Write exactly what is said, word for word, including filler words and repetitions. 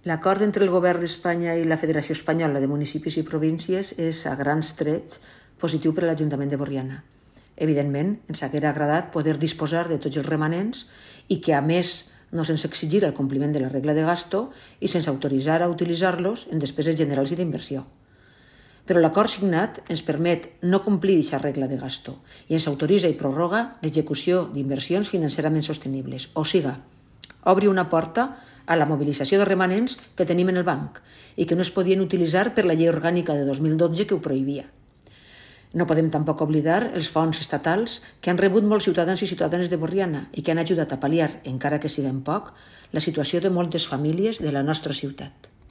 L'acord entre el Govern d'Espanya i la Federació Espanyola de Municipis i Províncies és, a grans trets, positiu per a l'Ajuntament de Borriana. Evidentment, ens haguera agradat poder disposar de tots els remanents i que, a més, no se'ns exigirà el compliment de la regla de gasto i se'ns autoritzara a utilitzar-los en despeses generals i d'inversió. Però l'acord signat ens permet no complir aquesta regla de gasto i ens autoritza i prorroga l'execució d'inversions financerament sostenibles, o siga, obri una porta a la mobilització de remanents que tenim en el banc i que no es podien utilitzar per la llei orgànica de dos mil dotze que ho prohibia. No podem tampoc oblidar els fons estatals que han rebut molts ciutadans i ciutadanes de Borriana i que han ajudat a pal·liar, encara que sigui en poc, la situació de moltes famílies de la nostra ciutat.